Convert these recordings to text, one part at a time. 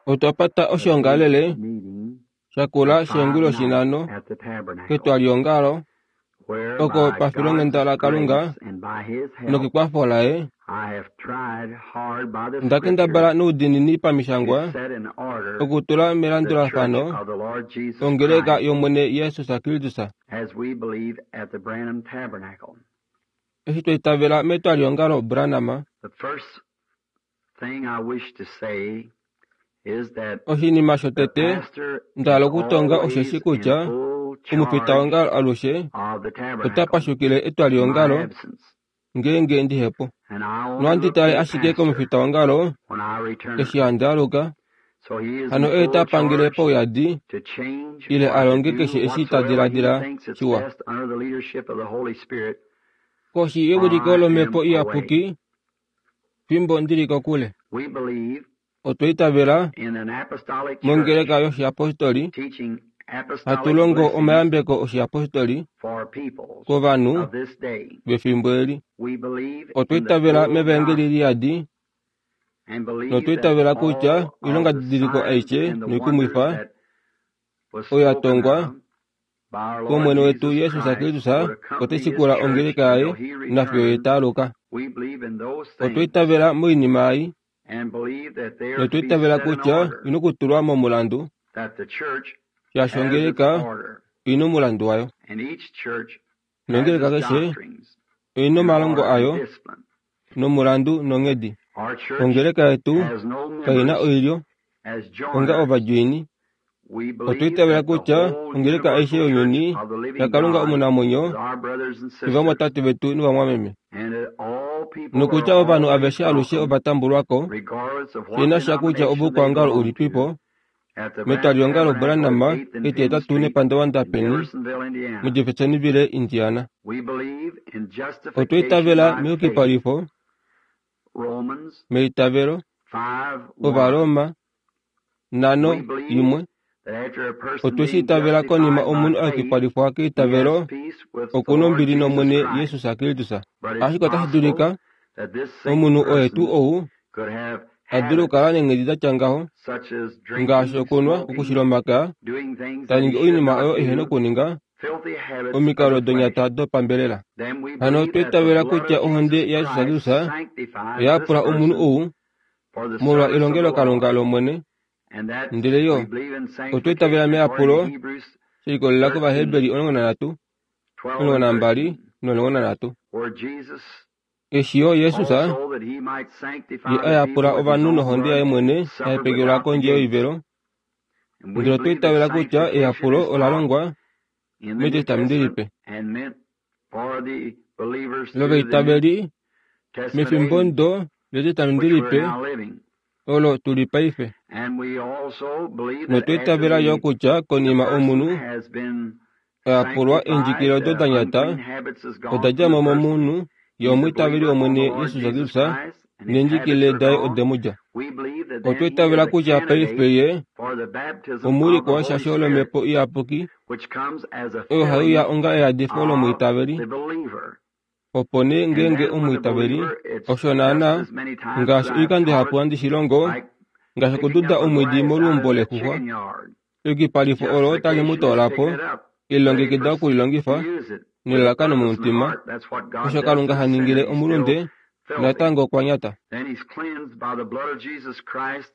Otwa pata oshoongalele shakula sheengulu shinhano ketwaliongalo oko pafilonghenda laKalunga nokekwafo laye nda kendabala noudiinini pamishangwa okutula melandulafano ongeleka yOmwene Jesus Kristus. Eshi twa itavela metwaliongalo Branham, Oshinima shotete nda hala okutonga osheshi kutya omufitaongalo alushe ota pashukile etwaliongalo ngeenge ndihepo. Nohandi tale ashike komufitaongalo eshi handi aluka, hano oye ta pangele pauyadi ile a longe keshe eshi ta diladila shiwa. Koshi yewiliko lOmhepo Iyapuki, fimbo ndi li kokule. Otwa itavela mongeleka yoshiyapostoli, hatu longo omayambeko oshiyapostoli kovanhu vefimbo eli. Otwa itavela mevaengeli liyadi notwa itavela kutya oilongadidiliko aishe noikumwifa oyo ya tongwa kOmwene wetu Jesus Kristus ote shikula ongeleka yaye nafiyo ye ta aluka. Otwa itavela moinima ei notwa itavela kutya ina okutulwa momulandu, shaashi ongeleka oi na omulandu wayo. Nongeleka keshe oi na omalongo ayo nomulandu nonghedi. Ongeleka yetu kai na oilyo onga ovadjoini. Otwa itavela kutya ongeleka aishe younyuni yaKalunga omunamwenyo novamwatate vetu novamwameme, nokutya ovanhu aveshe alushe ova tambulwa ko, shi na sha kutya ovoukwaongalo ulipipo, metwaliongalo Branham etihetatu nepandavanda peni muJeffersonville, Indiana. Otwa itavela meyukipalifo, meitavelo, Ovaroma 5:1. Otwe shi itavela konima omunhu a yukipalifwa keitavelo, oku nombili nOmwene Jesus Kristus. Ashike otashi dulika omunhu oye tuu ou a dule okukala neenghedi da tya ngaho, ngaashi okunwa, okushila omakaya, ta ningi oinima oyo ehe na okuninga, omikalo donyata dopambelela. Hano otwa itavela kutya ohonde yaJesus Kristus oya yapula omunhu ou molwa elongelokalunga lOmwene, ndele yo otwa itavela meyapulo she likolelela kOvaheberi 13, 12 no13. Eshi yo Jesus ye a yapula ovanhu nohonde yaye mwene ya hepekelwa kondje yoivelo, ndele otwa itavela kutya eyapulo ola longwa mEtestamenti Lipe lovaitaveli mefimbo ndo lEtestamenti Lipe olo tu li paife. Notwa itavela yo kutya konima omunhu a yapulwa eendjikilile odo da nyata oda dja mo momunhu ye omwiitaveli wOmwene Jesus Kristus neendjikilile daye ode mu dja. Otwa itavela kutya paife ye omuulikwa weshasho lOmhepo Iyapuki oyo hai uya onga eyadifo lomwiitaveli. Opo nee ngeenge omwiitaveli, osho naanaa ngaashi oikando ihapu handi shi longo, ngaashi okududa omwiidi moluumbo lexuxwa, eyukipalifo olo tali mu toola po, e lilongekida oku li longifa nelalakano momutima, osho Kalunga ha ningile omulunde, natango okwa nyata.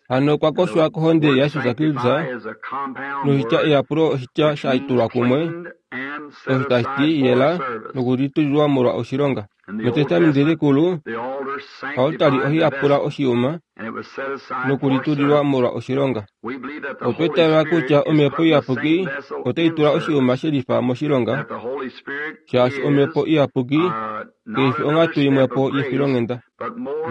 Hano okwa koshwa kohonde yaJesus Kristus, noshitya eyapulo oshitya sha tulwa kumwe, osho tashi ti yela nokulitulilwa molwa oshilonga. MEtestamenti Likulu, oaltari ohai yapula oshiyuma nokulitulilwa molwa oshilonga. Otwa itavela kutya Omhepo Iyapuki otai tula oshiyuma she lifa moshilonga, shaashi Omhepo Iyapuki kai fi onghatu imwepo yefilonghenda,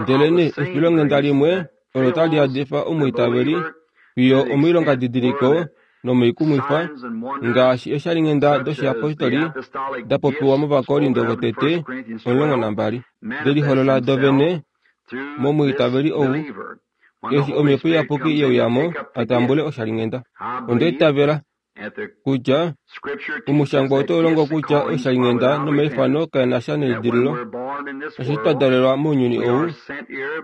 ndelenee efilonghenda limwe olo tali yadifa omwiitaveli fiyo omoilongadidiliko nomoikumwifa, ngaashi eeshalinghenda doshiyapostoli da popiwa mOvakorinto votete 12, de liholola do vene momwiitaveli ou, eshi Omhepo Iyapuki ye uya mo a tambule oshalinghenda. Onda itavela kutya omushangwa otau longo kutya oishalinghenda nomaifano kae na sha neidililo. Eshi twa dalelwa mounyuni ou,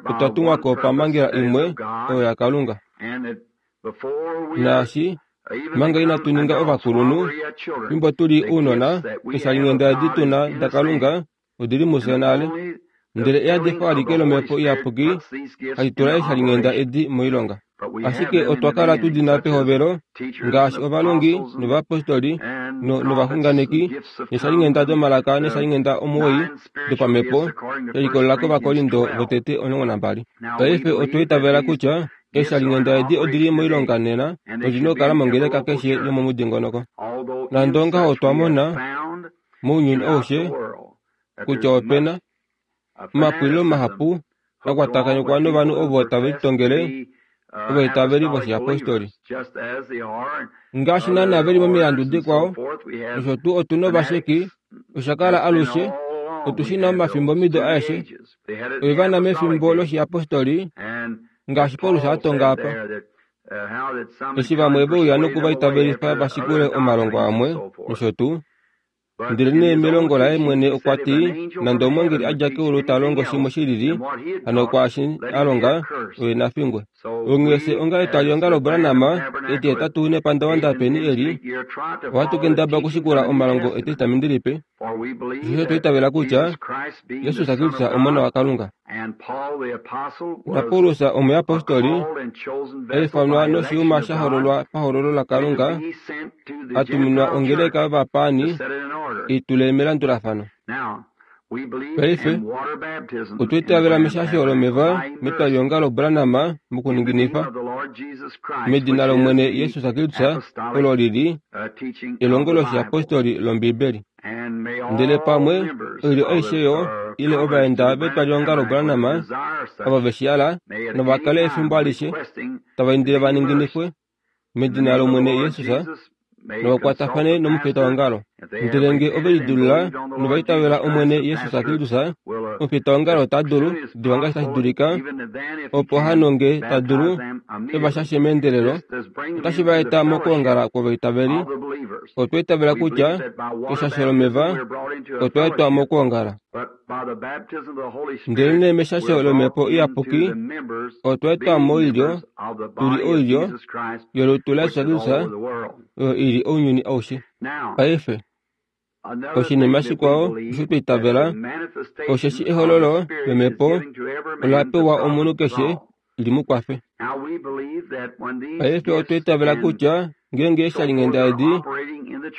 otwa tumwa ko pamhangela imwe oyo yaKalunga. Naashi manga inatu ninga ovakulunhu, fimbo tu li ounona, eeshalinghenda edi tu na daKalunga odi li mufye nale. Ndele eyadifo alike lOmhepo Iyapuki hali tula eeshalinghenda edi moilonga. Ashike otwa kala tu di na pehovelo, ngaashi ovalongi novayapostoli novaxunganeki, neeshalinghenda domalaka neeshalinghenda 9 dopamhepo, she likolelela kOvakorinto votete 12. Paife otwa itavela kutya eeshalinghenda edi odi li moilonga nena nodi na okukala mongeleka keshe yomomudingonoko. Nande ongaho otwa mona, mounyuni aushe, kutya ope na omapwililo mahapu a kwatakanifwa novanhu ovo tave litongele ovaitaveli voshiyapostoli. Ngaashi naanaa ve li momilandu dikwao, nosho tuu otu na ovasheki, osha kala alushe, otu shi na omafimbomido aeshe, ove va na mefimbo loshiyapostoli, ngaashi Paulus a tonga apa. Eshi vamwe ve uya noku va itavelifa va shikule omalongo amwe, nosho tuu. Ndelenee melongo laye mwene okwa ti, Nande omweengeli a dja keulu ta longo shimwe shi lili, hano kwaashi a longa, oye na fingwe. Onghee fye onga etwalihongalo Branham, etihetatu nepandavanda peni eli, ohatu kendabala okushikula omalongo Etestamenti Lipe, osheshi otwa itavela kutya Jesus Kristus Omona waKalunga. NaPaulus omuyapostoli, a ifanwa noshiyuma sha hololwa pahololo laKalunga, a tuminwa ongeleka yovapaani i tule melandulafano. Paife, otwa itavela meshasho lomeva metwalihongalo Branham mokuninginifa medina lOmwene Jesus Kristus olo li li elongo loshiyapostoli lOmbibeli. Ndele pamwe oilyo aishe yo ile ovaenda vetwalihongalo Branham ava ve shi hala nava kale efimbo alishe tava indile va ninginifwe medina lOmwene Jesus novakwatafane nomufitaongalo. Ndele nge ove lidilula nova itavela Omwene Jesus Kristus, omufitaongalo ota dulu, diva ngaashi tashi dulika, opo hano nge ta dulu e va shashe meendelelo, otashi va eta mokwoongala kwovaitaveli. Otwa itavela kutya keshasho lomeva otwa etwa mokwoongala. Ndelenee meshasho lOmhepo Iyapuki otwa etwa moilyo, tu li oilyo yolutu laJesus Kristus, oyo i li ounyuni aushe. Paife, oshinima shikwao osho twa itavela osheshi ehololo lOmhepo ola pewa omunhu keshe li mu kwafe. Paife otwa itavela kutya ngeenge eeshalinghenda edi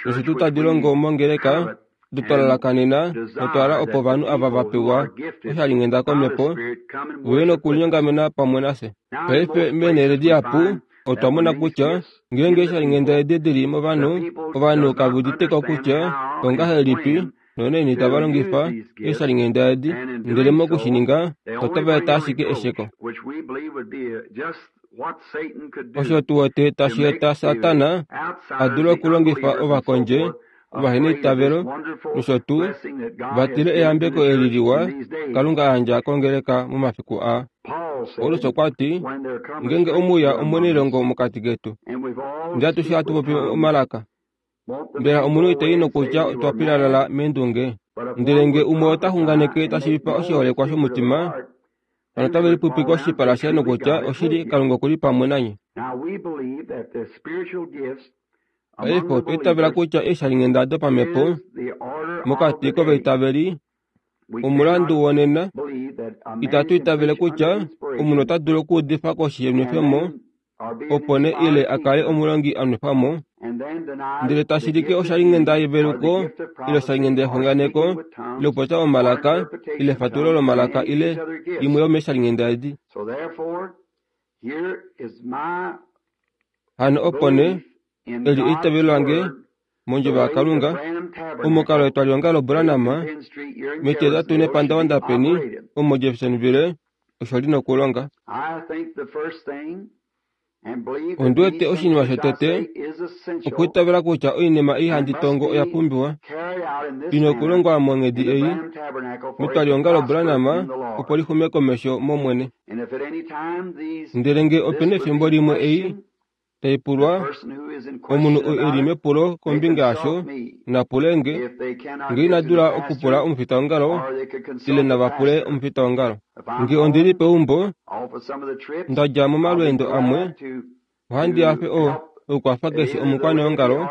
nosho tuu tadi longo mongeleka, odo twa lalakanena notwa hala opo ovanhu ava va pewa oshalinghenda komhepo ve uye nokulinyongamena pamwe nafye. Paife meenhele dihapu otwa mona kutya ngeenge eeshalinghenda edi di li movanhu, ovanhu kave udite ko kutya ongahelipi nonaini tava longifa eeshalinghenda edi, ndele moku shi ninga otava eta ashike esheko. Osho tu wete tashi eta Satana a dule okulongifa ovakondje ovaheneitavelo nosho tuu va tile eyambeko eli liwa Kalunga a yandja kongeleka momafiku aa. Paulus okwa ti, Ngeenge omuuya omunailongo mokati ketu, ndele atushe hatu popi omalaka, mbela omunhu ita i nokutya otwa pilalala meendunge? Ndele nge umwe ota xunganeke ta shiivifa oshiholekwa shomutima, hano otave lipwipwike oshipala shaye nokutya, Oshili, Kalunga oku li pamwe nanye. Paife otwa itavela kutya eeshalinghenda dopamhepo mokati kovaitaveli omulandu wonena. Itatu itavele kutya omunhu ota dulu okuudifa koshi yenwefemo opo nee ile a kale omulongi a nwefwa mo, ndele ta shilike oshalinghenda yeveluko ile oshalinghenda yexunganeko ile okupopya omalaka ile efatululo lomalaka ile imwe yomeeshalinghenda edi. Hano opo nee, eli eitavelo lange mondjovo yaKalunga, omukalo wetwalihongalo Branham, metihetatu nepandavanda peni, omo Jeffersonville, osho li nokulonga. Ondi wete oshinima shotete okwiitavela kutya oinima ei handi tongo oya pumbiwa i nokulongwa monghedi ei metwalihongalo Branham opo li xume komesho mOmwene. Ndele nge ope na efimbo limwe ei. Tai pulwa, omunhu ou e li mepulo kombinga yasho na pule nge, nge ina dula okupula omufitaongalo ile nava pule omufitaongalo. Nge ondi li peumbo, nda dja momalweendo amwe, ohandi hafe okukwafa keshe omukwaneongalo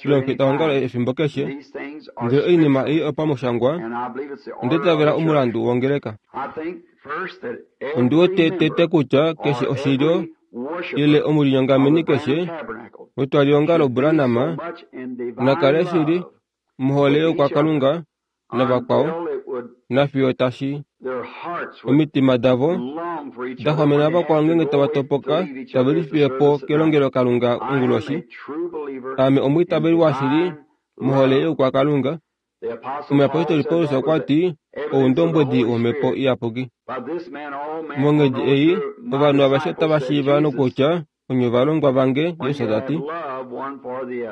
ile omufitaongalo efimbo keshe, ndele oinima ei opamushangwa, onda itavela omulandu wongeleka. Ondi wete tete kutya keshe oshilyo ile omulinyongameni keshe wetwaliongalo Branham na kale shili mohole youkwakalunga navakwao, nafiyo tashi omitima davo da xwamena vakwao ngeenge tava topoka tave lifiye po kelongelokalunga onguloshi. Aame omwiitaveli washili mohole youkwakalunga. Omuyapostoli Paulus okwa ti, Oundombwedi wOmhepo Iyapuki. Monghedi ei, ovanhu aveshe otava shiiva nokutya onye ovalongwa vange, Jesus ta ti,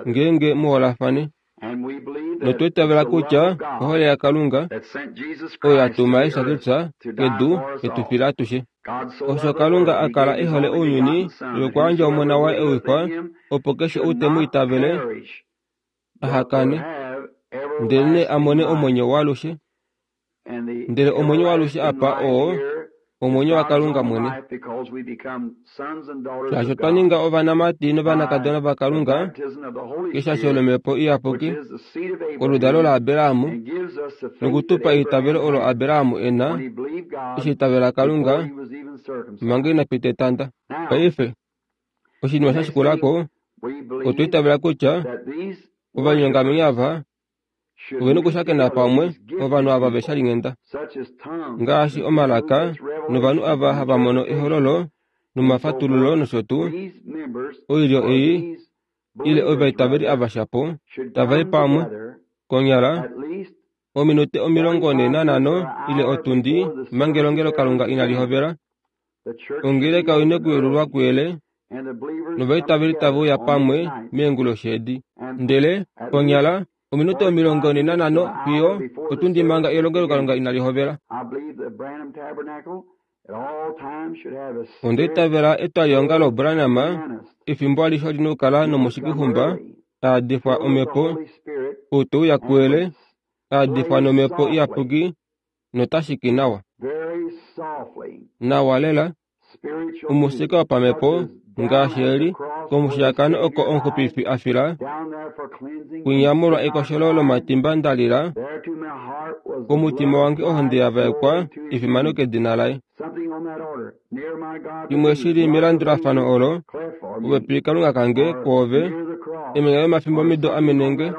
ngeenge mu holafane. Notwa itavela kutya ohole yaKalunga oyo ya tuma Jesus Kristus kedu e tu fila atushe. Osho Kalunga a kala e hole ounyuni nokwa yandja Omona waye ewifa, opo keshe ou te mu itavele aha kane, ndelenee a mone omwenyo waalushe. Ndele omwenyo waalushe apa oo omwenyo waKalunga mwene. Shaashi otwa ninga ovanamati novanakadona vaKalunga keshasho lOmhepo Iyapuki, oludalo laAbraham, nokutupa eitavelo olo Abraham e na, eshi itavela Kalunga manga ina pita etanda. Paife, oshinima sha shikula ko, otwa itavela kutya ovanyongameni ava ove na okushakena pamwe ovanhu ava ve shalinghenda, ngaashi omalaka novanhu ava hava mono ehololo nomafatululo nosho tuu. Oilyo ei ile ovaitaveli ava shapo tava i pamwe konyala ominute 45 ile otundi manga elongelokalunga inali hovela. Ongeleka oi na okuyelulwa kuyele, novaitaveli tave uya pamwe meenguloshi edi. Ndele, konyala, ominute 45 fiyo otundi manga elongelokalunga inali hovela. Onda itavela etwaliongalo Branham efimbo alishe oli na okukala nomushikixumba a yadifwa Omhepo, ou te uya kuyele, a yadifwa nOmhepo Iyapuki notashiki nawa. Nawa lela, omusika wopamhepo ngaashi eli, komushiyakano oko omuxupifi a fila, kwinya molwa ekosholo lomatimba nda lila, komutima wange ohonde ya vaekwa efimano kedina laye. Shimwe shi li melandulafano olo, popepi Kalunga kange kwoove, emanya lomafimbomido amenenge,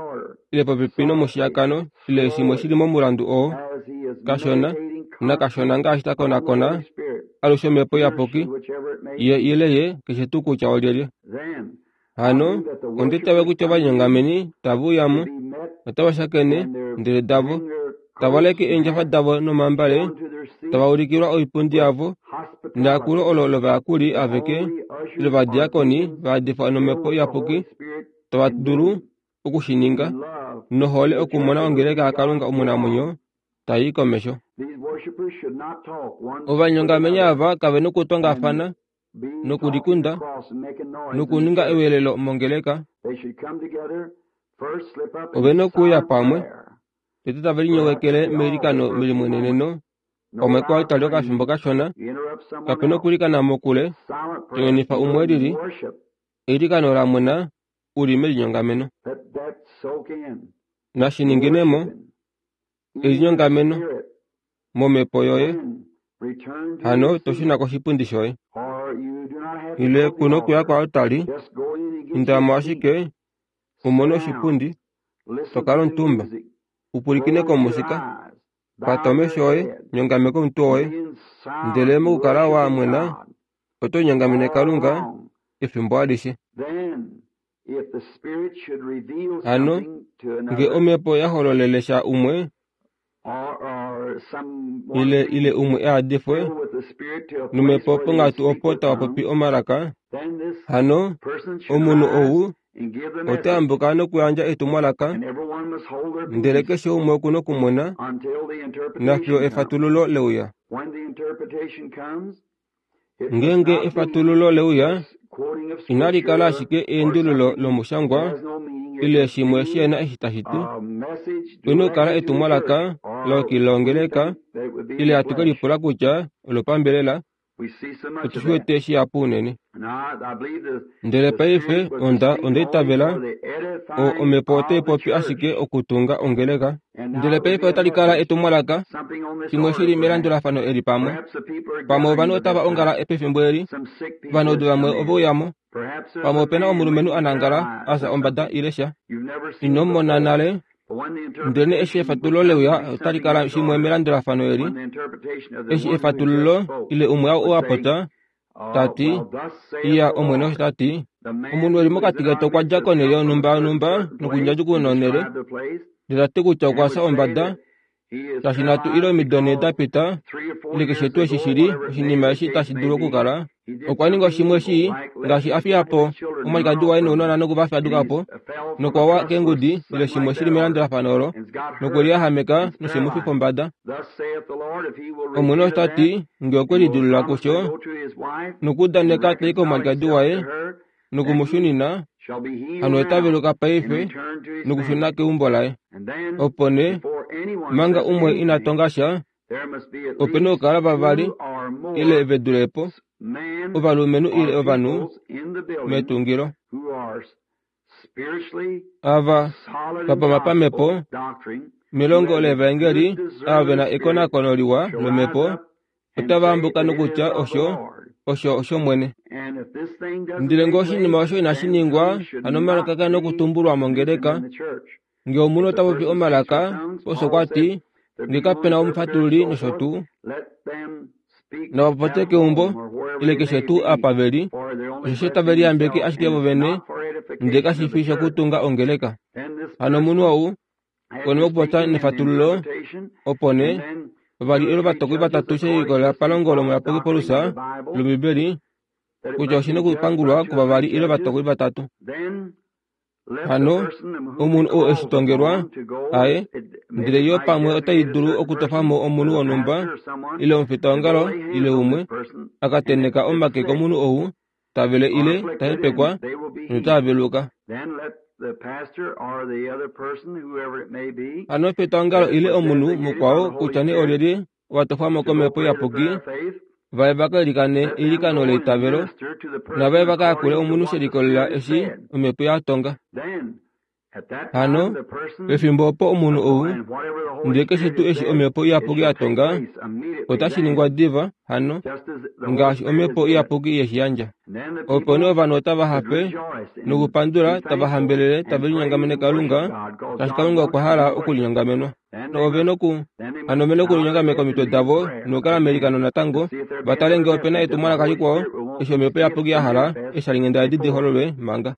ile popepi nomushiyakano, ile shimwe shi li momulandu oo, kashona nakashona ngaashi ta konakona alushe Omhepo Iyapuki, ye ile ye, keshe tuu kutya olyelye. Hano, onda itavela kutya ovanyongameni tave uya mo, otava shakene, ndele davo, tava leke eendjafa davo nomambale, tava ulikilwa oipundi yavo, neyakulo olo lovayakuli aveke, ile ovadiakoni va yadifwa nOmhepo Iyapuki, tava dulu oku shi ninga, nohole okumona ongeleka yaKalunga omunamwenyo tai i komesho. Ovanyongameni ava kave nokutongafana nokulikunda nokuninga eweelelo mongeleka. Ove na okuuya pamwe, tete tave linyowekele meilikano melimweneneno pamwe koaltari okafimbo kashona. Kape na okwiilikana mokule, to nyonifa umwe e lili. Eilikano la mwena u li melinyongameno. Nashi ningine mo, elinyongameno, momhepo yoye, hano to shuna koshipundi shoye. Ile ku nokuya koaltari, inda mo ashike, u mone oshipundi, to kala omutumba, u pwilikine komusika, pata omesho oye, nyongameka omutwe woye, ndele mokukala wa mwena, oto linyongamene Kalunga efimbo alishe. Hano, nge Omhepo ya hololele sha umwe, ile, ile umwe a yadifwe nOmhepo ponghatu opo tava popi omalaka, hano omunhu ou ota yambuka nokuyandja etumwalaka, ndele keshe umwe oku nokumona nafiyo efatululo leuya. Ngeenge efatululo leuya, Inali kala ashike eendululo lomushangwa ile shimwe shihena eshi tashi ti. Ope na okukala etumwalaka la yukilila ongeleka ile hatu ke lipula kutya olopambelela. Otu shi wete shihapu unene. Ndele paife onda onda itavela omhepo otai popi ashike okutunga ongeleka. Ndele paife otali kala etumwalaka shimwe shili melandulafano eli pamwe. Pamwe ovanhu otava ongala pefimbo eli, ovanaudu vamwe ove uyamo. Pamwe opena omulumenhu a nangala a fya ombada ile sha. Ino mu mona nale, ndelenee eshi efatululo leuya otali kala shimwe melandulafano eli. Eshi efatululo ile umwe ou a popya ta ti, Iya, Omwene osho ta ti, omunhu eli mokati ketu okwa dja konhele yonhumba yonhumba nokundjadjukununa onhele, ndele ta ti kutya okwa fya ombada, shaashi nhatu ile omido nhee da pita, ile keshe tuu eshi shi li oshinima eshi tashi dulu okukala, okwa ninga shimwe shii, ngaashi a fiya po omwalikadi waye nounona noku va faduka po, nokwa wa keengudi ile shimwe shi li melandulafano olo, nokwe liyahameka noshe mu fifa ombada. Omwene osho ta ti, nge okwe lidilulula kusho, nokuudaneka ta i komwalikadi waye noku mu shunina, hano ota veluka paife nokushuna keumbo laye. Opo nee, manga umwe ina tonga sha, ope na okukala vavali ile ve dule po, ovalumenhu ile ovanhu metungilo. Ava va pama pamhepo melongo levaengeli, ava ve na ekonakono liwa lomhepo, otava ambuka nokutya osho osho oshOmwene. Ndele ngee oshinima osho inashi ningwa, hano omalaka kae na okutumbulwa mongeleka. Ngee omunhu ota popi omalaka, osho kwa ti, ngee kape na omufatululi nosho tuu, nava popye keumbo ile keshe tuu apa ve li, osheshi otave liyambeke ashike vovene ndele kashi fi shokutunga ongeleka. Hano omunhu ou konima yokupopya nefatululo, opo nee, vavali ile ovatokoli vatatu she likolelela palongo lomuyapuki Paulus lOmbibeli kutya oshi na okupangulwa kuvavali ile ovatokoli vatatu. Hano, omunhu ou eshi tongelwa, aye, ndele yo pamwe otai dulu okutofa mo omunhu wonhumba ile omufitaongalo ile umwe, a ka tenheka omake komunhu ou ta vele ile ta hepekwa nota veluka. Hano omufitaongalo ile omunhu mukwao kutya nee olyelye ova tofwa mo komhepo iyapuki vaye va ka ilikane eilikano leitavelo navaye va ka yakule omunhu she likolelela eshi omhepo ya tonga. Hano, pefimbo opo omunhu ou, ndele keshe tuu eshi Omhepo Iyapuki ya tonga, otashi ningwa diva, hano, ngaashi Omhepo Iyapuki ye shi yandja. Opo nee ovanhu otava hafe nokupandula, tava hambelele, tave linyongamene Kalunga, shaashi Kalunga okwa hala okulinyongamenwa. Ove noku, hano ove nokulinyongameka omitwe davo nokukala meilikano natango, va tale ngee ope na etumwalaka likwao, eshi Omhepo Iyapuki ya hala eeshalinghenda edi di hololwe manga.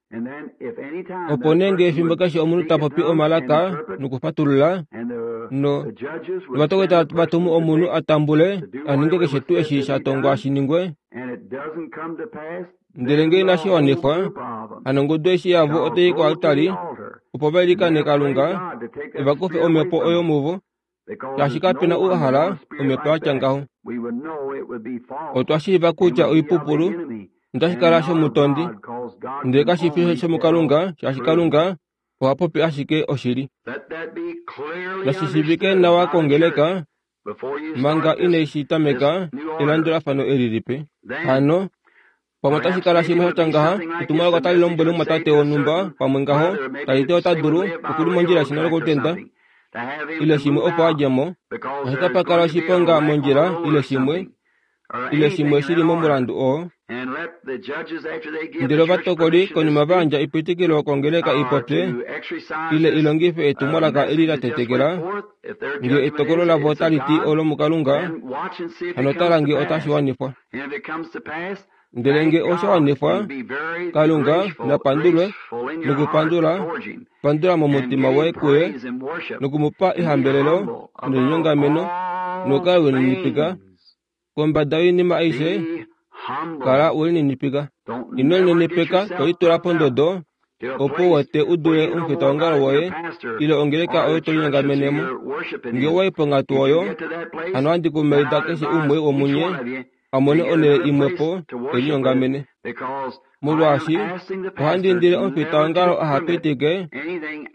Opo nee ngee efimbo keshe omunhu ta popi omalaka nokufatulula, no, novatokoli tava tumu omunhu a tambule a ninge keshe tuu eshi sha tongwa shi ningwe, ndele ngee inashi wanifwa, hano ongudu eshi yavo otai i koaltari opo va ilikane Kalunga e va kufe omhepo oyo muvo, shaashi kape na ou a hala omhepo ya tya ngaho. Otwa shiiva kutya oipupulu notashi kala shomutondi, ndele kashi fi shomukalunga, shaashi Kalunga oha popi ashike oshili. Nashi shiivike nawa kongeleka manga inai shi tameka elandulafano eli lipe. Hano, pamwe otashi kala shimwe sha tya ngaha, etumwalaka otali lombwele omumwatate wonhumba pamwe ngaho, tali ti ota dulu, oku li mondjila yeshina lokolutenda, ile shimwe opo a dje mo, oshi tapa kala oshiponga mondjila ile shimwe, ile shimwe shi li momulandu oo. Ndele ovatokoli konima va yandja epitikilo kongeleka i popye ile i longife etumwalaka eli la tetekela, ngee etokolo lavo otali ti olomukalunga, hano tala ngee otashi wanifwa. Ndele ngee osha wanifwa, Kalunga na pandulwe nokupandula, pandula momutima woye kuye noku mu pa ehambelelo nelinyongameno nokukala we lininipika kombada yoinima aishe. Kala we lininipika. Ino linenepeka to litula pondodo opo u wete u dule omufitaongalo woye ile ongeleka oyo to linyongamene mo. Ngee owa i ponghatu oyo, hano ohandi kumaida keshe umwe womunye. a mone onhele imwe po e linyongamene. Molwaashi ohandi indile omufitaongalo aha pitike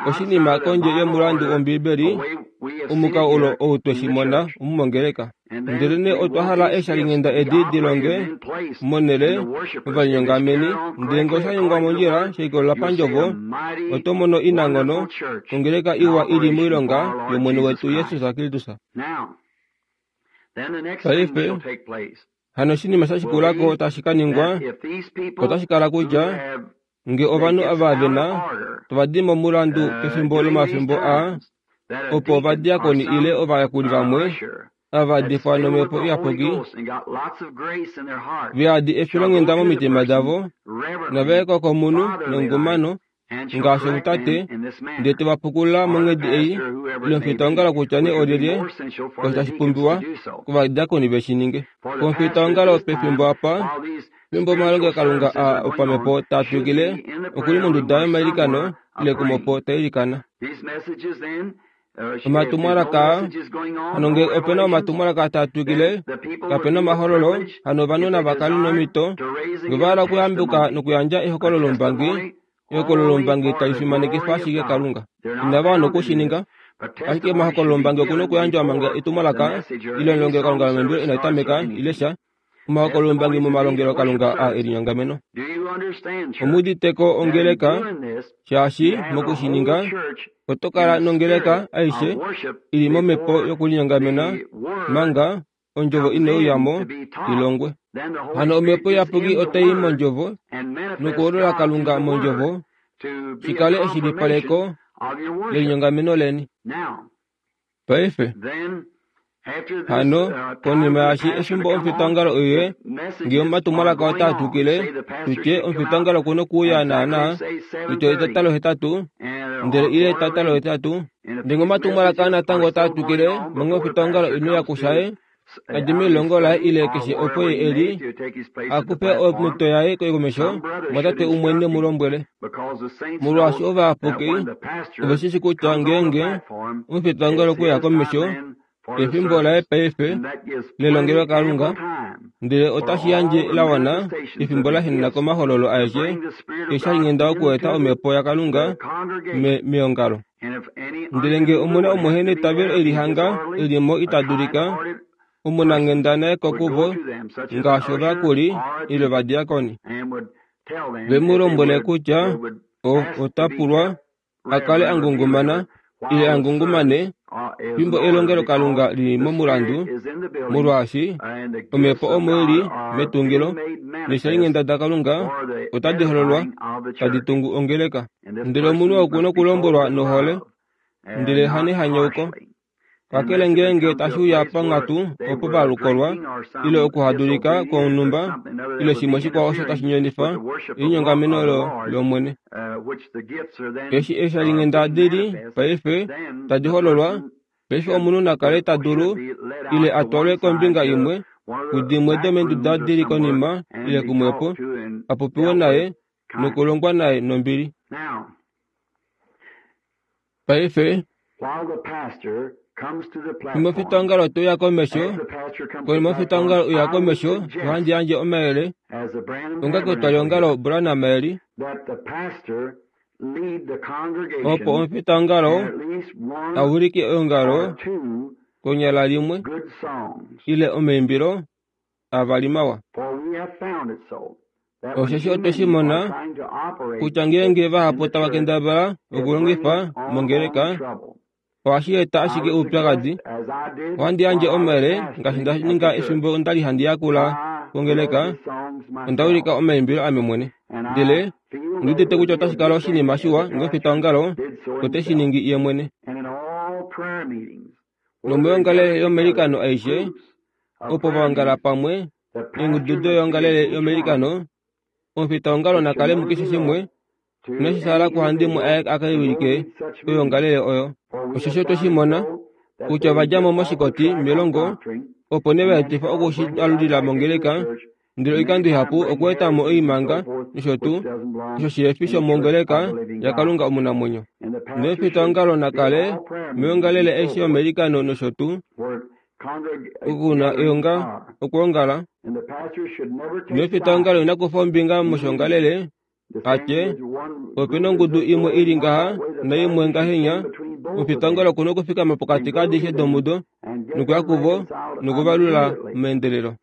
oshinima kondje yomulandu wOmbiibeli, omukalo olo ou twe shi mona omu mongeleka. Ndelenee otwa hala eeshalinghenda edi di longe monhele ovalinyongameni, ndele ngee osha ningwa mondjila she likolelela pandjovo, oto mono inanghono ongeleka iwa i li moilonga yOmwene wetu Jesus Kristus. Paife, hano oshinima sha shikula ko tashi ka ningwa otashi kala kutya nge ovanhu ava ve na tava di momulandu pefimbo lomafimbo aa opo ovadiakoni ile ovayakuli vamwe ava va difwa nomhepo iyapuki ve yadi efilonghenda momitima davo nava ye ko komunhu nengungumano ngaashi omutate, ndele te va pukulula monghedi ei, ile omufitaongalo kutya nee olyelye, osho tashi pumbiwa kovadiakoni ve shi ninge. Komufitaongalo pefimbo apa, fimbo omalongelokalunga aa opamhepo taa twikile, oku li monduda yomailikano ile kumopo ta ilikana. Omatumwalaka aa, hano ngee ope na omatumwalaka taa twikile, kape na omahololo, hano ovanhu nava kale nomhito, nge va hala okuyambuka nokuyandja ehokololombangi, ehokololombangi tali fimanekifa ashike Kalunga. Inava wana oku shi ninga. Ashike omahokololombangi oku na okuyandjwa manga etumwalaka ile elongelokalunga lomaimbilo inali tameka ile sha, omahokololombangi momalongelokalunga aa e linyongameno. Omu udite ko ongeleka, shaashi moku shi ninga, oto kala nongeleka aishe i li momhepo yokulinyongamena manga ondjovo ine uya mo i longwe. Hano Omhepo Iyapuki otai i mondjovo nokuholola Kalunga mondjovo shi kale eshilipaleko lelinyongameno leni. Paife, hano, konima yaashi efimbo omufitaongalo uye, ngee omatumwalaka otaa twikile, tu tye omufitaongalo oku nokuuya naanaa, tu tye 8:30, ndele ile 8:30, ndele ngee omatumwalaka natango otaa twikile, manga omufitaongalo ine uya kushaye, a dje melilongo laye ile keshe opo ye e li, a kufe omhito yaye komesho, omumwatate umwe ne mu lombwele. Molwaashi ovayapuki ove shi shii kutya ngeenge omufitaongalo okwe uya komesho, efimbo laye paife lelongelokalunga, ndele otashi yandje la wana efimbo la henena komahololo aeshe eeshalinghenda okueta Omhepo yaKalunga meongalo. Ndele ngee omu na omuheneitavelo e lihanga e li mo ita dulika, omunanghenda na ye ko kuvo ngaashi ovayakuli ile ovadiakoni, ve mu lombwele kutya ota pulwa a kale a ngungumana ile a ngungumane fimbo elongelokalunga li li momulandu, molwaashi omhepo omo i li metungilo neeshalinghenda daKalunga otadi hololwa tadi tungu ongeleka. Ndele omunhu oku nokulombwelwa nohole, ndele hanehanyauko. Kakele ngeenge tashi uya panghatu opo va lukolwa, ile okuhadulika kwonhumba ile shimwe shikwao osho tashi nyonifa elinyongameno lOmwene. Eshi eeshalinghenda di li paife tadi hololwa, paife omunhu na kale ta dulu ile a twalwe kombinga imwe, kudimwe domeenduda di li konima ile kumwepo, a popiwe naye nokulongwa naye nombili. Paife, fimbo omufitaongalo te uya komesho, konima omufitaongalo uya komesho, ohandi yandje omayele, onga ketwaliongalo Branham eli, opo omufitaongalo a wilike eongalo konyala limwe ile omaimbilo avali mawa. Osheshi otwe shi mona kutya ngeenge vahapu tava kendabala okulongifa mongeleka, ohashi eta ashike oupyakadi. Ohandi yandje omayele ngaashi nda ninga efimbo nda li handi yakula kongeleka, onda ulika omaimbilo ame mwene. Ndele ondi udite kutya otashi kala oshinima shiwa ngee omufitaongalo ote shi ningi ye mwene. Nomoyoongalele yomailikano aishe, opo va ongala pamwe, eengudu doyoongalele yomailikano, omufitaongalo na kale mukeshe shimwe, inashi shala kuhandimwe aye a ka wilike oyoongalele oyo. Osheshi otwe shi mona, kutya ova dja mo moshikoti melongo, opo nee va etifa oku shi alulila mongeleka, ndele oikando ihapu okweeta mo oimanga nosho tuu, osho shihe fi shomongeleka yaKalunga omunamwenyo. Nomufitaongalo na kale moyoongalele aishe yomailikano nosho tuu. Oku na eonga okwoongala, nomufitaongalo ina kufa ombinga moshoongalele, a tye, Ope na ongudu imwe i li ngaha naimwe ngahenya, omufitaongalo oku na okufikama pokati kaadishe domudo nokuya kuvo nokuvalula meendelelo.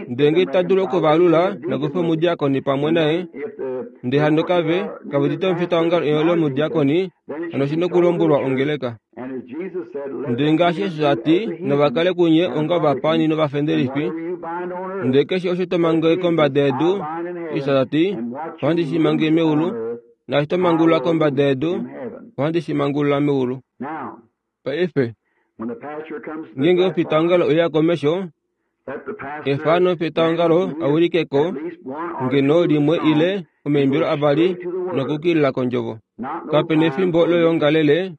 Ndele ngee ita dulu okuvalula, na kufe omudiakoni pamwe naye. Ndele hano kave, kave udite omufitaongalo ile omudiakoni, hano oshi na okulombwelwa ongeleka. Ndele ngaashi Jesus a ti, nava kale kunye onga ovapaani novafendelifi. Ndele keshe osho to mange kombada yedu, Jesus ta ti, ohandi shi mange meulu, naashi to mangulula kombada yedu, ohandi shi mangulula meulu. Paife, ngeenge omufitaongalo oya komesho, Efano fetaongalo a ulike ko ngeno limwe ile omaimbilo avali nokukilila kondjovo. Kape nefimbo loyoongalele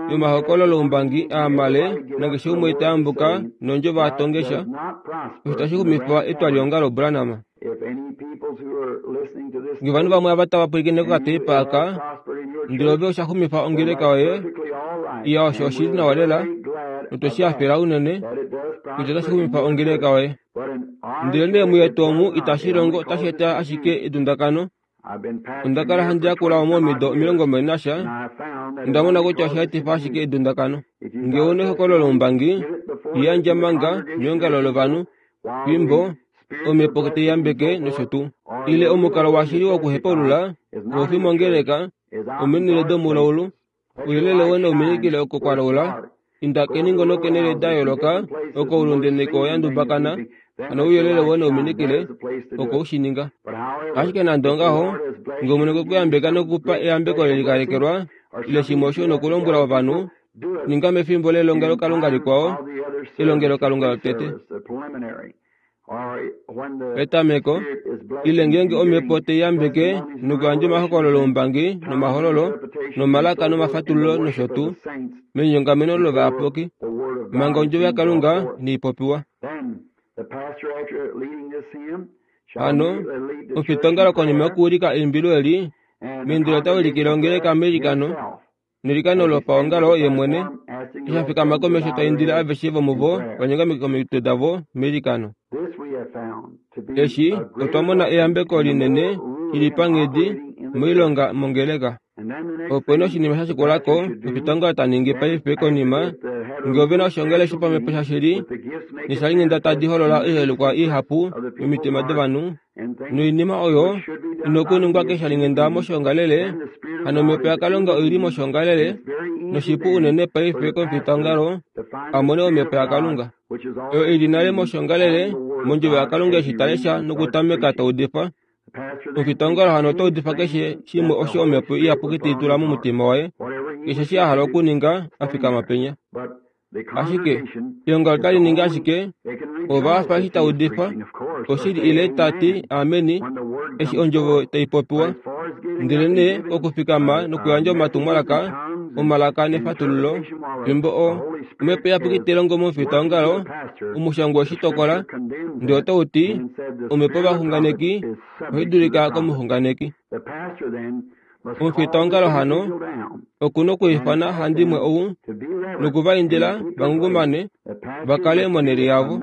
yomahokololo oumbangi aa male nakeshe umwe ta yambuka nondjovo a tonge sha, osho tashi xumifa etwaliongalo Branham. Nge ovanhu vamwe ava tava pwilikine kokateipa aka, ndele ove osha xumifa ongeleka yoye, iya osho oshi li nawa lela, notwe shi hafela unene, kutya otashi xumifa ongeleka yoye. Ndelenee muyetu omu itashi longo, otashi eta ashike edundakano. Onda kala handi yakula omu omido 20 nasha, onda mona kutya osha etifa ashike edundakano. Nge ou na ehokololo loumbangi, li yandja manga meongalo lovanhu, fimbo omhepo tai yambeke nosho tuu. Ile omukalo washili wokuhepaulula kau fi mongeleka, omenhele domulaulu, ouyelele woye nau minikile oko kwa laula, inda keningo nokenhele da yooloka oko oulunde neko ya ndubakana, hano ouyelele woye nau minikile oko u shi ninga. Ashike nande ongaho, nge Omwene okwe ku yambeka noku ku pa eyambeko le likalekelwa, ile shimwe osho u na okulombwela ovanhu, ninga mefimbo lelongelokalunga likwao, elongelokalunga lotete. Petameko, ile ngeenge omhepo tai yambeke nokuyandja omahokololo oumbangi nomahololo nomalaka nomafatululo nosho tuu, menyongameno lovayapuki, manga ondjovo yaKalunga inai popiwa. Hano, omufitaongalo konima yokuulika eimbilo eli, meindilo ota ulikile ongeleka meilikano, Neilikano lopaongalo ye mwene, eshi a fikama komesho ta indile aveshe vomuvo va nyongameke komitwe davo meilikano. Eshi otwa mona eyambeko linene li li panghedi moilonga mongeleka. Ope na oshinima sha shikula ko oshitongolo ta ningi paife konima ngee ove na oshoongalele shopamhepo shashili neshalinghenda tadi holola oiholekwa ihapu momitima dovanhu noinima oyo ina okuningwa keshalinghenda moshoongalele hano omhepo yakalunga oi li moshoongalele noshipu unene paife komufitaongalo a mone omhepo yakalunga oyo i li nale moshoongalele mondjovo yakalunga eshi ta lesha nokutameka ta udifa Omufitaongalo hano ota udifa keshe shimwe osho omhepo iyapuki tai tula momutima waye, keshe eshi a hala okuninga, a fikama penya. Ashike, eongalo otali ningi ashike ova fa eshi ta udifa oshili ile ta ti ameni eshi ondjovo tai popiwa. Ndelenee okufikama nokuyandja omatumwalaka omalaka nefatululo fimbo o omhepo iyapuki tai longo momufitaongalo, omushangwa we shi tokola ndele otau ti omhepo yovaxunganeki ohai dulika komuxunganeki. Omufitaongalo hano oku na okwiifana handimwe ou noku va indila va ngungumane va kale monhele yavo.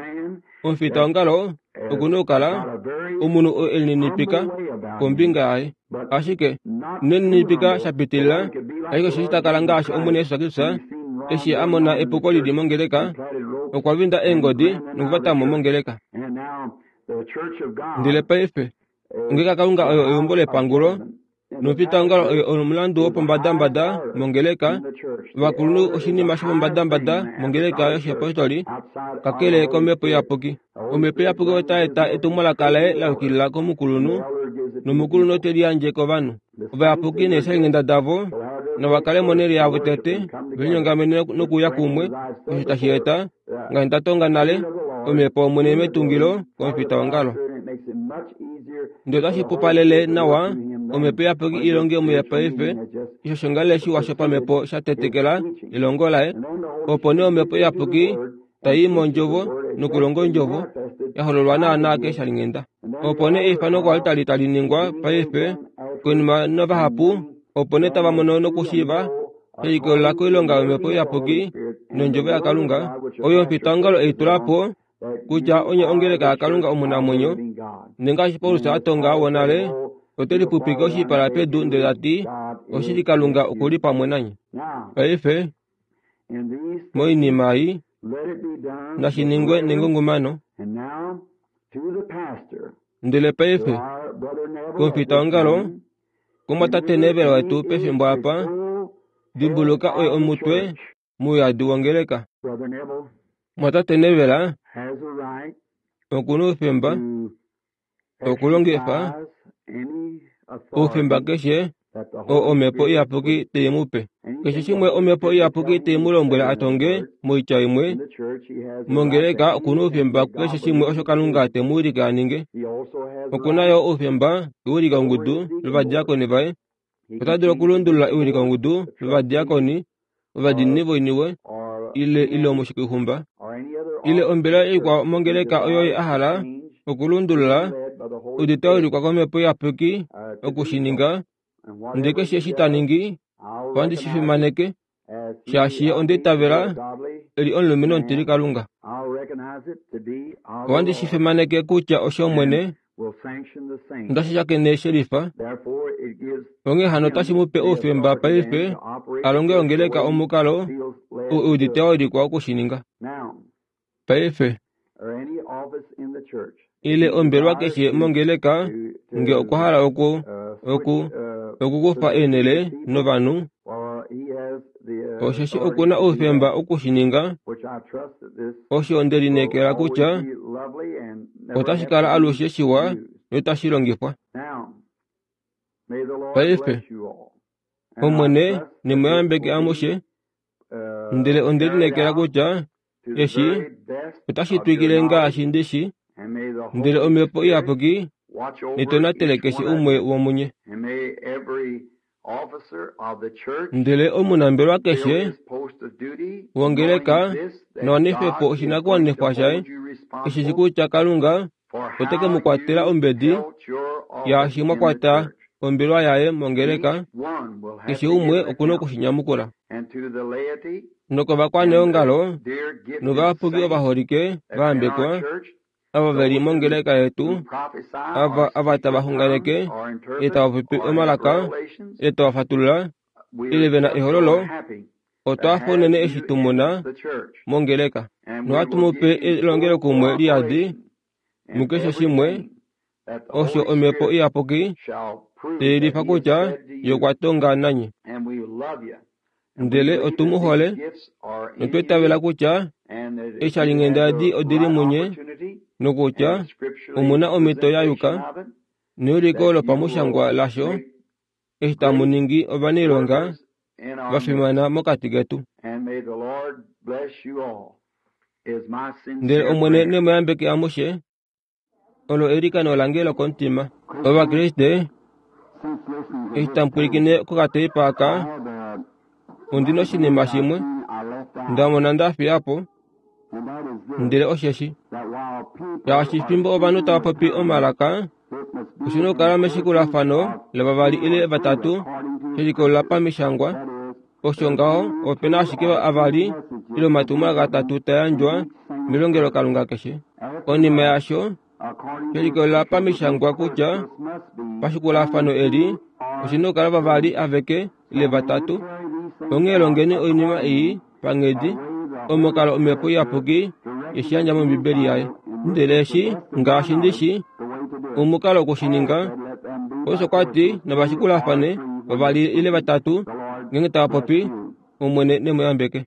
Omufitaongalo oku na okukala omunhu oo e lininipika kombinga yaye, ashike ine lininipika sha pitilila, ashike osheshi ta kala ngaashi Omwene Jesus Kristus eshi a mona epuko li li mongeleka, okwa vinda eengodi nokuvatamo mongeleka. Ndele paife, ongeleka yaKalunga oyo eumbo lepangulo, Nomufitaongalo oye omulandu wopombadambada mongeleka, ovakulunhu oshinima shopombadambada mongeleka yoshiapostoli, kakele kOmhepo Iyapuki. Omhepo Iyapuki otai eta etumwalaka laye la yukilila komukulunhu, nomukulunhu ote li yandje kovanhu. Ovayapuki neeshalinghenda davo nava kale monhele yavo tete, ve linyongamene nokuuya kumwe, osho tashi eta, ngaashi nda tonga nale, Omhepo yOmwene metungilo komufitaongalo. Ndele otashi pupalele nawa Omhepo Iyapuki i longe muye paife, eshi oshoongalele shiwa shopamhepo sha tetekela elongo laye, opo nee Omhepo Iyapuki tai i mOndjovo nokulonga Ondjovo, ya hololwa naanaa keeshalinghenda. Opo nee eifano koaltari tali ningwa paife, konima navahapu opo nee tava mono nokushiiva she likolelela koilonga yOmhepo Iyapuki. nOndjovo yaKalunga, oyo omufitaongalo ei tula po, kutya onye ongeleka yaKalunga omunamwenyo, nengaashi Paulus a tonga wonale, ote lipupike oshipala pedu ndele ta ti, Oshili Kalunga oku li pamwe nanye. Paife, moinima ei, nashi ningwe nengungumano. Ndele paife, komufitaongalo, komwatate Neville wetu pefimbo apa, dimbuluka oye omutwe mouyadi wongeleka. Mwatate Neville oku na oufemba okulongifa oufemba keshe oo Omhepo Iyapuki tai mu pe. Keshe shimwe Omhepo Iyapuki tai mu lombwele a tonge, moitya imwe, mongeleka oku na oufemba kukeshe shimwe osho Kalunga te mu wilike a ninge. Oku na yo oufemba kewilikongudu lovadiakoni vaye. Ota dulu okulundulula ewilikongudu lovadiakoni, ovadiinini voiniwe, ile ile omushikixumba, ile ombelewa ikwao mongeleka oyo ye a hala okulundulula, odi ta ulikwa kOmhepo Iyapuki oku shi ninga, ndele keshe eshi ta ningi, ohandi shi fimaneke, shaashi ye onda itavela e li omulumenhu omutilikalunga. Ohandi shi fimaneke kutya oshOmwene, Ondashi shakene shelifa, onghee hano otashi mu pe oufemba paife a longe ongeleka omukalo ou e udite wa wilikwa oku shi ninga. Paife, ile ombelwa keshe mongeleka nge okwa hala oku, oku, okukufa eenhele novanhu, osheshi oku na oufemba oku shi ninga, osho nde lineekela kutya otashi kala alushe shiwa noitashi longifwa. Paife, Omwene ne mu yambeke amushe, ndele onde lineekela kutya eshi otashi twikile ngaashi ndi shi, ndele Omhepo Iyapuki netonatele keshe umwe womunye. Ndele omunambelwa keshe wongeleka na wanife po oshinakuwanifwa shaye, eshi shi kutya Kalunga ote ke mu kwatela ombedi yaashi mwa kwata ombelwa yaye mongeleka, keshe umwe oku na oku shi nyamukula. Nokovakwaneongalo novayapuki ovaholike va yambekwa, ava ve li mongeleka yetu, ava, ava tava xunganeke, ile tava popi omalaka, ile tava fatulula, ile ve na ehololo, otwa hafa unene eshi tu mu na mongeleka. Nohatu mu pe elongelokumwe liyadi mukeshe shimwe osho Omhepo Iyapuki tai yelifa kutya Ye okwa tonga nanye. Ndele otu mu hole notwa itavela kutya eeshalinghenda edi odi li munye nokutya omu na omhito ya yuka neuliko lopamushangwa lasho eshi tamu ningi ovanailonga va fimana mokati ketu. Ndele Omwene ne mu yambeke amushe. Olo eilikano lange lokomutima. Ovakriste, eshi tamu pwilikine kokateipa aka, ondi na oshinima shimwe nda mona nda fiya po, ndele osheshi, shaashi fimbo ovanhu tava popi omalaka, oshi na okukala meshikulafano lavavali ile vatatu, she likolelela pamishangwa. Osho ngaho, ope na ashike avali ile omatumwalaka atatu ta yandjwa melongelokalunga keshe. Konima yaasho, she likolelela pamishangwa kutya pashikulafano eli oshi na okukala vavali aveke ile vatatu. Onghee longeni oinima ei panghedi omukalo Omhepo Iyapuki ye shi yandja mOmbibeli yaye. Ndele eshi, ngaashi ndi shi, omukalo oku shi ninga, Paulus okwa ti navashikulafane vavali ile vatatu, ngeenge tava popi, Omwene ne mu yambeke.